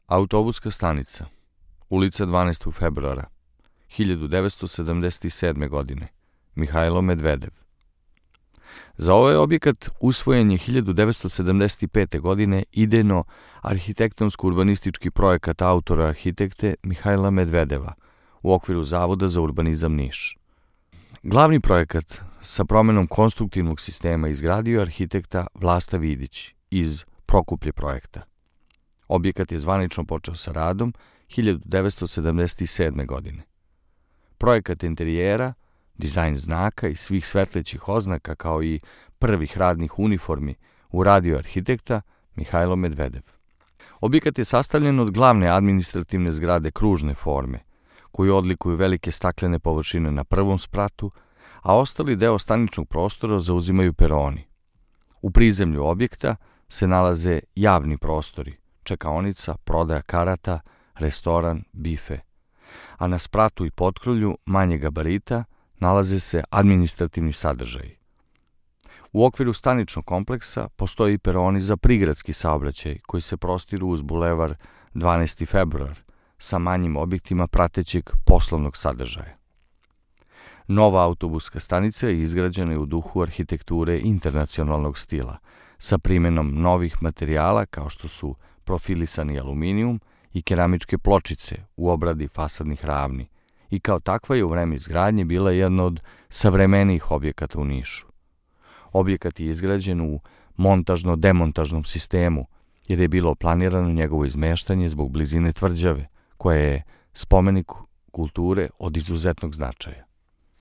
Autobuska stanica, ulica 12. februara, 1977. godine, Mihajlo Medvedev. Za ovaj objekat usvojen je 1975. godine idejno-arhitektonsko-urbanistički projekat autora arhitekte Mihajla Medvedeva u okviru Zavoda za urbanizam Niš. Glavni projekat sa promenom konstruktivnog sistema izgradio arhitekta Vlasta Vidić iz Prokuplje projekta. Objekat je zvanično počeo sa radom 1977. godine. Projekat interijera, dizajn znaka i svih svetlećih oznaka kao i prvih radnih uniformi uradio arhitekta Mihajlo Medvedev. Objekat je sastavljen od glavne administrativne zgrade kružne forme, koju odlikuju velike staklene površine na prvom spratu, a ostali deo staničnog prostora zauzimaju peroni. U prizemlju objekta se nalaze javni prostori, čekaonica, prodaja karata, restoran, bife, a na spratu i potkrulju manje gabarita nalaze se administrativni sadržaji. U okviru staničnog kompleksa postoji i peroni za prigradski saobraćaj koji se prostiru uz bulevar 12. februar sa manjim objektima pratećeg poslovnog sadržaja. Nova autobuska stanica je izgrađena u duhu arhitekture internacionalnog stila, sa primenom novih materijala kao što su profilisani aluminijum i keramičke pločice u obradi fasadnih ravni i kao takva je u vreme izgradnje bila jedna od savremenijih objekata u Nišu. Objekat je izgrađen u montažno-demontažnom sistemu jer je bilo planirano njegovo izmeštanje zbog blizine tvrđave, koja je spomenik kulture od izuzetnog značaja.